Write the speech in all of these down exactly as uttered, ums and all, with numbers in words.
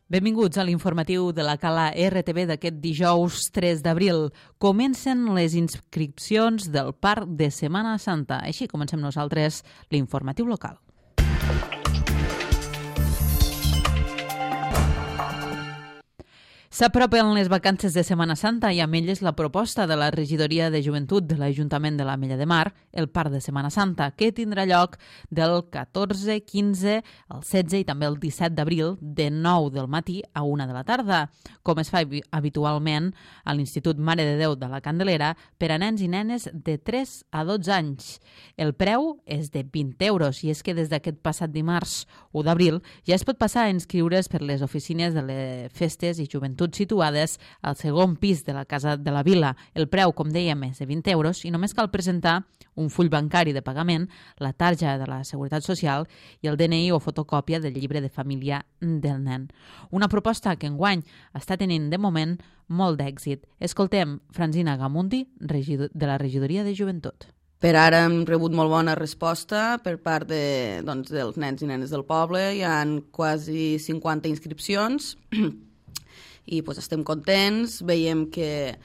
Benvinguts a l'informatiu de la Cala R T V d'aquest dijous tres d'abril. Comencen les inscripcions del Parc de Setmana Santa. Així comencem nosaltres l'informatiu local. S'apropen les vacances de Setmana Santa i amb elles la proposta de la Regidoria de Joventut de l'Ajuntament de l'Ametlla de Mar, el Parc de Setmana Santa, que tindrà lloc del catorze, quinze, el setze i també el disset d'abril, de nou del matí a una de la tarda, com es fa habitualment a l'Institut Mare de Déu de la Candelera per a nens i nenes de tres a dotze anys. El preu és de vint euros i és que des d'aquest passat dimarts u d'abril ja es pot passar a inscriure's per les oficines de les festes i joventut situades al segon pis de la Casa de la Vila. El preu, com dèiem, és de vint euros i només cal presentar un full bancari de pagament, la tarja de la Seguretat Social i el D N I o fotocòpia del llibre de família del nen. Una proposta que enguany està tenint de moment molt d'èxit. Escoltem Francina Gamundi, de la Regidoria de Joventut. Per ara hem rebut molt bona resposta per part de, doncs, dels nens i nenes del poble. Hi ha quasi cinquanta inscripcions i pues, estem contents, veiem que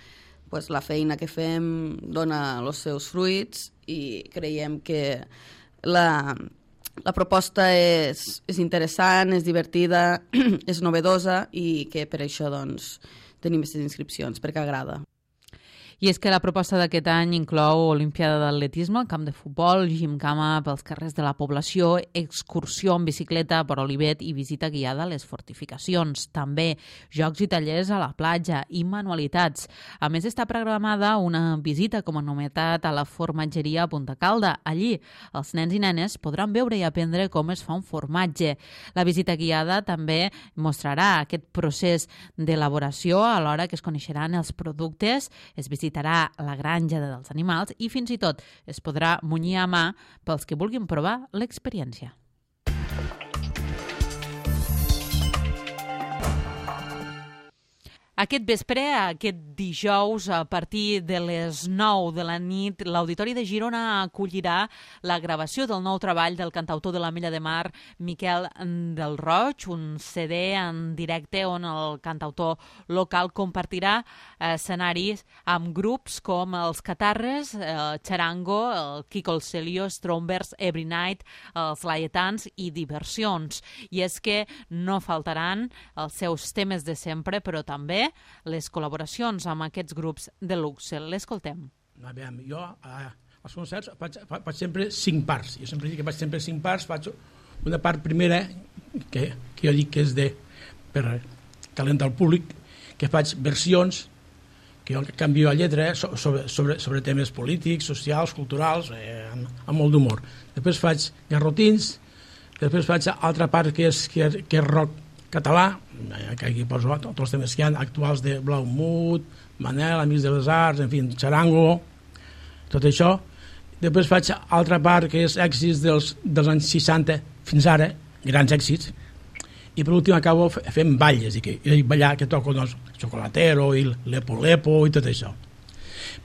pues, la feina que fem dona els seus fruits i creiem que la, la proposta és, és interessant, és divertida, és novedosa i que per això doncs, tenim aquestes inscripcions, perquè agrada. I és que la proposta d'aquest any inclou Olimpiada d'Atletisme, camp de futbol, gimcama pels carrers de la població, excursió en bicicleta per Olivet i visita guiada a les fortificacions. També jocs i tallers a la platja i manualitats. A més, està programada una visita com a novetat a la formatgeria a Punta Calda. Allí, els nens i nenes podran veure i aprendre com es fa un formatge. La visita guiada també mostrarà aquest procés d'elaboració alhora que es coneixeran els productes, es visitarà la granja dels animals i fins i tot es podrà munyir a mà pels que vulguin provar l'experiència. Aquest vespre, aquest dijous, a partir de les nou de la nit, l'Auditori de Girona acollirà la gravació del nou treball del cantautor de l'Ametlla de Mar, Miquel del Roig, un C D en directe on el cantautor local compartirà escenaris amb grups com els Catarres, el Charango, el Kiko el Celio, Strombers, Every Night, els Laietans i Diversions. I és que no faltaran els seus temes de sempre, però també les col·laboracions amb aquests grups de luxe. L'escoltem. A veure, jo a, als concerts faig, faig sempre cinc parts. Jo sempre dic que faig sempre cinc parts. Faig una part primera, que, que jo dic que és de, per calentar el públic, que faig versions, que jo canvio la lletra eh, sobre, sobre, sobre temes polítics, socials, culturals, eh, amb, amb molt d'humor. Després faig garrotins, després faig altra part que és, que, que és rock català, que aquí poso tots els temes que hi ha actuals de Blaumut, Manel, Amics de les Arts, en fi, Charango, tot això. Després faig altra part que és èxits dels, dels anys seixanta fins ara, grans èxits, i per últim acabo fent balles, i, que, i ballar que toco doncs, Chocolatero i Lepo Lepo i tot això.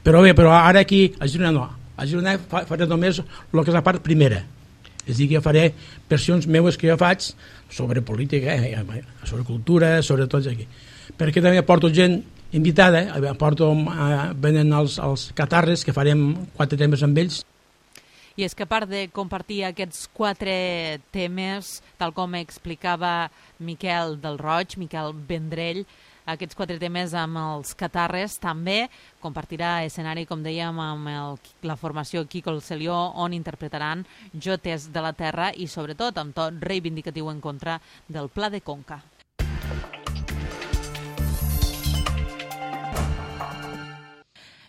Però bé, però ara aquí a Girona no, a Girona faré només el que és la part primera. És a dir, que jo faré versions meues que jo faig sobre política, eh, sobre cultura, sobre tots aquí. Perquè també porto gent invitada, eh, porto, eh, venen els, els Catarres, que farem quatre temes amb ells. I és que a part de compartir aquests quatre temes, tal com explicava Miquel del Roig, Miquel Vendrell, aquests quatre temes amb els Catarres, també compartirà escenari, com dèiem, amb el, la formació Kiko el Celio, on interpretaran Jotes de la Terra i, sobretot, amb tot reivindicatiu en contra del Pla de Conca.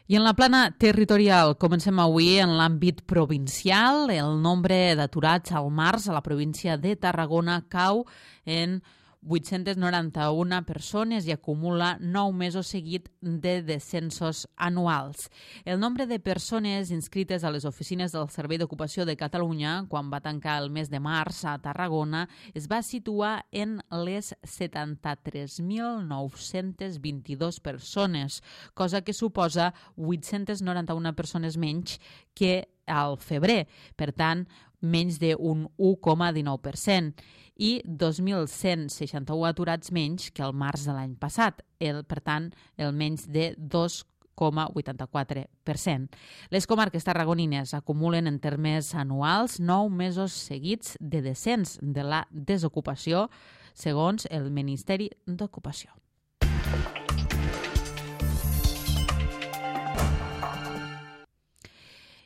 I en la plana territorial, comencem avui en l'àmbit provincial. El nombre d'aturats al març a la província de Tarragona cau en vuit-centes noranta-una persones i acumula nou mesos seguit de descensos anuals. El nombre de persones inscrites a les oficines del Servei d'Ocupació de Catalunya, quan va tancar el mes de març a Tarragona, es va situar en les setanta-tres mil nou-centes vint-i-dues persones, cosa que suposa vuit-centes noranta-una persones menys que al febrer. Per tant, menys d'un u coma dinou per cent, i dos mil cent seixanta-u aturats menys que el març de l'any passat, el, per tant, el menys de dos coma vuitanta-quatre per cent. Les comarques tarragonines acumulen en termes anuals nou mesos seguits de descens de la desocupació, segons el Ministeri d'Ocupació.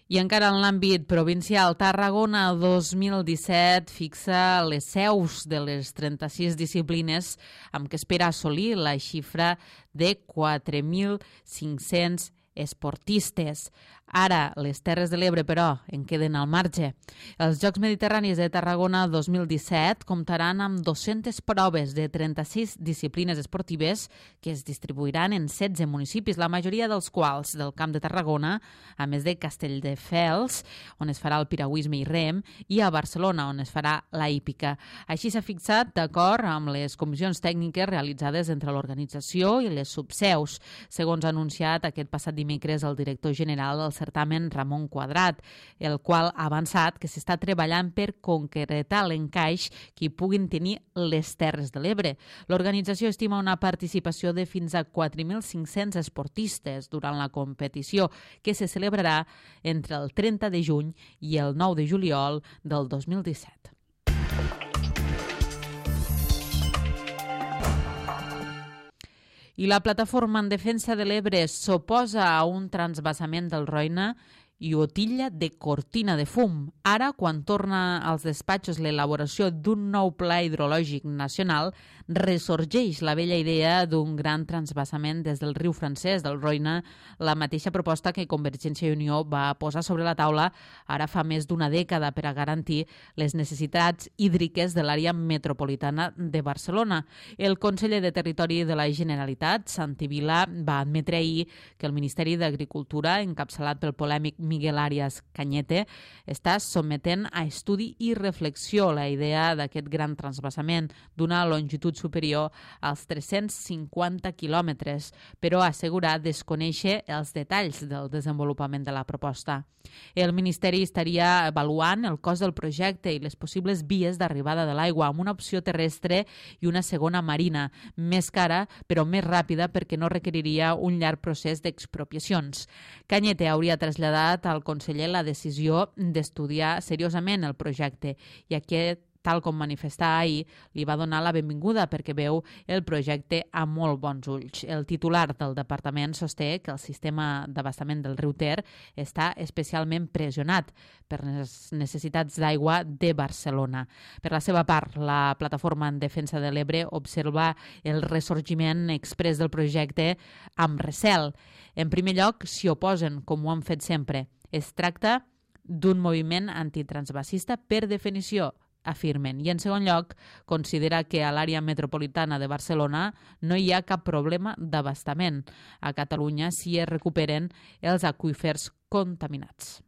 I encara en l'àmbit provincial, Tarragona dos mil disset fixa les seus de les trenta-sis disciplines amb què espera assolir la xifra de quatre mil cinc-cents esportistes. Ara, les Terres de l'Ebre, però, en queden al marge. Els Jocs Mediterranis de Tarragona dos mil disset comptaran amb dues-centes proves de trenta-sis disciplines esportives que es distribuiran en setze municipis, la majoria dels quals del Camp de Tarragona, a més de Castelldefels, on es farà el piragüisme i rem, i a Barcelona, on es farà la hípica. Així s'ha fixat d'acord amb les comissions tècniques realitzades entre l'organització i les subseus, segons ha anunciat aquest passat dimecres el director general del certamen, Ramon Quadrat, el qual ha avançat que s'està treballant per concretar l'encaix que hi puguin tenir les Terres de l'Ebre. L'organització estima una participació de fins a quatre mil cinc-cents esportistes durant la competició, que se celebrarà entre el trenta de juny i el nou de juliol del dos mil disset. I la plataforma en defensa de l'Ebre s'oposa a un transvasament del Roine i ho titlla de cortina de fum. Ara, quan torna als despatxos l'elaboració d'un nou pla hidrològic nacional, ressorgeix la vella idea d'un gran transvasament des del riu francès del Roine, la mateixa proposta que Convergència i Unió va posar sobre la taula ara fa més d'una dècada per a garantir les necessitats hídriques de l'àrea metropolitana de Barcelona. El conseller de Territori de la Generalitat, Santi Vila, va admetre ahir que el Ministeri d'Agricultura, encapçalat pel polèmic Miguel Arias Cañete, està sometent a estudi i reflexió la idea d'aquest gran transvasament d'una longitud superior als tres-cents cinquanta quilòmetres, però assegurar desconèixer els detalls del desenvolupament de la proposta. El Ministeri estaria avaluant el cost del projecte i les possibles vies d'arribada de l'aigua amb una opció terrestre i una segona marina, més cara però més ràpida perquè no requeriria un llarg procés d'expropiacions. Cañete hauria traslladat al conseller la decisió d'estudiar seriosament el projecte i aquest, tal com manifestà ahir, li va donar la benvinguda perquè veu el projecte amb molt bons ulls. El titular del departament sosté que el sistema d'abastament del riu Ter està especialment pressionat per les necessitats d'aigua de Barcelona. Per la seva part, la plataforma en defensa de l'Ebre observa el ressorgiment exprés del projecte amb recel. En primer lloc, s'hi oposen, com ho han fet sempre. Es tracta d'un moviment antitransvasista per definició, afirmen. I en segon lloc, considera que a l'àrea metropolitana de Barcelona no hi ha cap problema d'abastament. A Catalunya s'hi recuperen els aqüífers contaminats.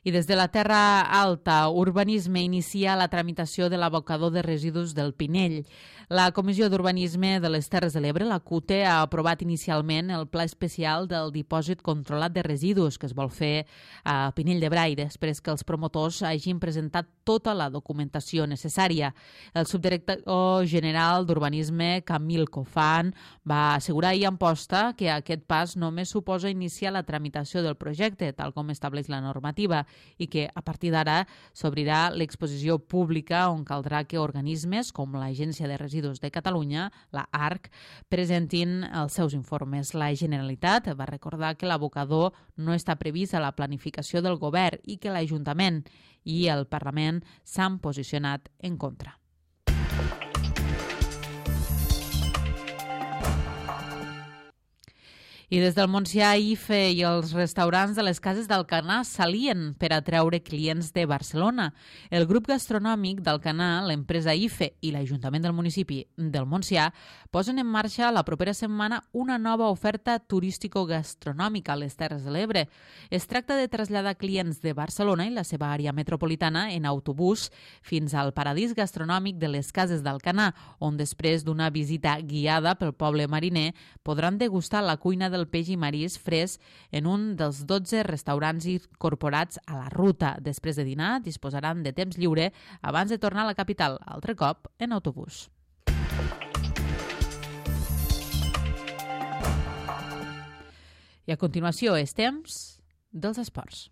I des de la Terra Alta, Urbanisme inicia la tramitació de l'abocador de residus del Pinell. La Comissió d'Urbanisme de les Terres de l'Ebre, la C U T E, ha aprovat inicialment el pla especial del dipòsit controlat de residus que es vol fer a Pinell de Brai després que els promotors hagin presentat tota la documentació necessària. El subdirector general d'Urbanisme, Camil Cofan, va assegurar ahir en posta que aquest pas només suposa iniciar la tramitació del projecte, tal com estableix la normativa, i que a partir d'ara s'obrirà l'exposició pública on caldrà que organismes com l'Agència de Residus de Catalunya, la A R C, presentin els seus informes. La Generalitat va recordar que l'abocador no està previst a la planificació del govern i que l'Ajuntament i el Parlament s'han posicionat en contra. I des del Montsià, I F E i els restaurants de les cases d'Alcanar s'alien per atraure clients de Barcelona. El grup gastronòmic d'Alcanar, l'empresa I F E i l'Ajuntament del municipi del Montsià posen en marxa la propera setmana una nova oferta turístico-gastronòmica a les Terres de l'Ebre. Es tracta de traslladar clients de Barcelona i la seva àrea metropolitana en autobús fins al paradís gastronòmic de les cases d'Alcanar, on després d'una visita guiada pel poble mariner podran degustar la cuina de del peix i marís fresc en un dels dotze restaurants incorporats a la ruta. Després de dinar, disposaran de temps lliure abans de tornar a la capital, altre cop en autobús. I a continuació és temps dels esports.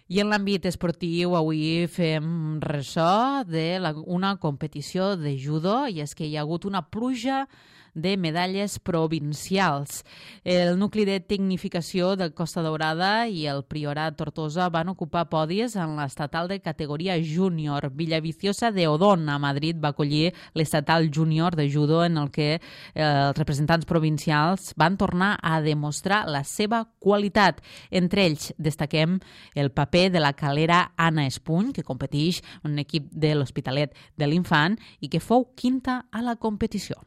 I en l'àmbit esportiu avui fem ressò d'una competició de judo, i és que hi ha hagut una pluja de medalles provincials. El nucli de tecnificació de Costa Daurada i el Priorat Tortosa van ocupar podis en l'estatal de categoria júnior. Villaviciosa de Odón, a Madrid, va acollir l'estatal júnior de judo en el que eh, els representants provincials van tornar a demostrar la seva qualitat. Entre ells destaquem el paper de la calera Anna Espuny, que competeix en un equip de l'Hospitalet de l'Infant i que fou quinta a la competició.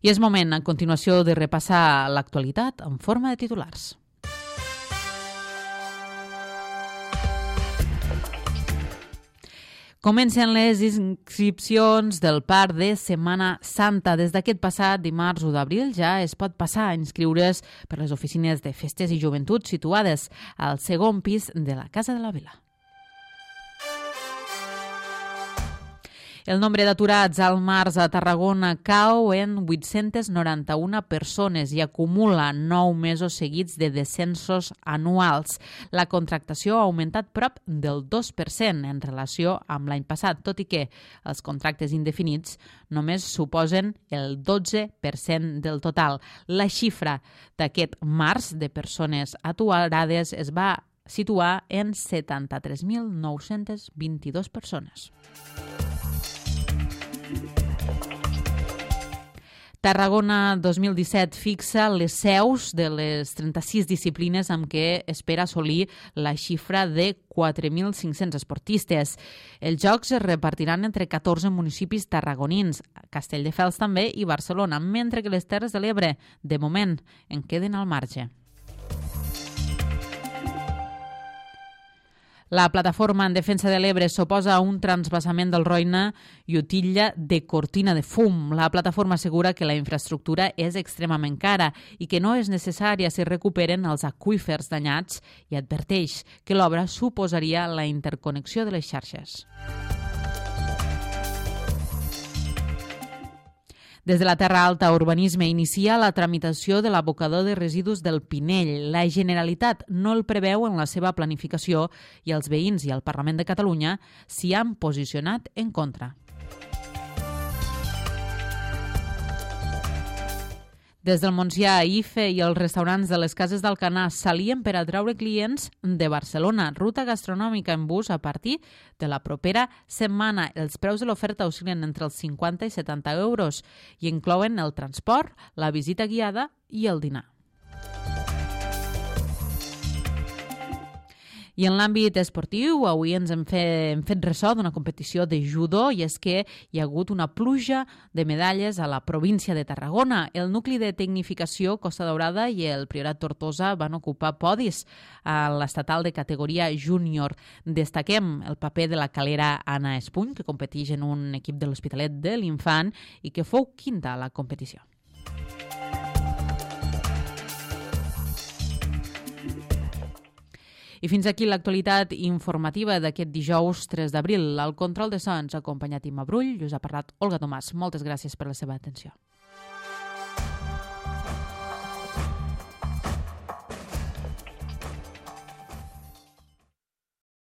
I és moment, a continuació, de repassar l'actualitat en forma de titulars. Comencen les inscripcions del Parc de Setmana Santa. Des d'aquest passat dimarts u d'abril ja es pot passar a inscriure's per les oficines de festes i joventut situades al segon pis de la Casa de la Vila. El nombre d'aturats al març a Tarragona cau en vuit-centes noranta-una persones i acumula nou mesos seguits de descensos anuals. La contractació ha augmentat prop del dos per cent en relació amb l'any passat, tot i que els contractes indefinits només suposen el dotze per cent del total. La xifra d'aquest març de persones aturades es va situar en setanta-tres mil nou-cents vint-i-dos persones. Tarragona dos mil disset fixa les seus de les trenta-sis disciplines amb què espera assolir la xifra de quatre mil cinc-cents esportistes. Els jocs es repartiran entre catorze municipis tarragonins, Castelldefels també i Barcelona, mentre que les Terres de l'Ebre, de moment, en queden al marge. La plataforma en defensa de l'Ebre s'oposa a un transvasament del Roine i utilla de cortina de fum. La plataforma assegura que la infraestructura és extremament cara i que no és necessària si recuperen els aqüífers danyats i adverteix que l'obra suposaria la interconnexió de les xarxes. Des de la Terra Alta, Urbanisme inicia la tramitació de l'abocador de residus del Pinell. La Generalitat no el preveu en la seva planificació i els veïns i el Parlament de Catalunya s'hi han posicionat en contra. Des del Montsià, I F E i els restaurants de les Cases d'Alcanar s'alien per atraure clients de Barcelona. Ruta gastronòmica en bus a partir de la propera setmana. Els preus de l'oferta oscil·len entre els cinquanta i setanta euros i inclouen el transport, la visita guiada i el dinar. I en l'àmbit esportiu, avui ens hem fet, hem fet ressò d'una competició de judo i és que hi ha hagut una pluja de medalles a la província de Tarragona. El nucli de tecnificació Costa Daurada i el Priorat Tortosa van ocupar podis a l'estatal de categoria júnior. Destaquem el paper de la calera Anna Espuny, que competeix en un equip de l'Hospitalet de l'Infant i que fou quinta a la competició. I fins aquí l'actualitat informativa d'aquest dijous tres d'abril. Al control de so ens ha acompanyat Imma Brull i us ha parlat Olga Tomàs. Moltes gràcies per la seva atenció.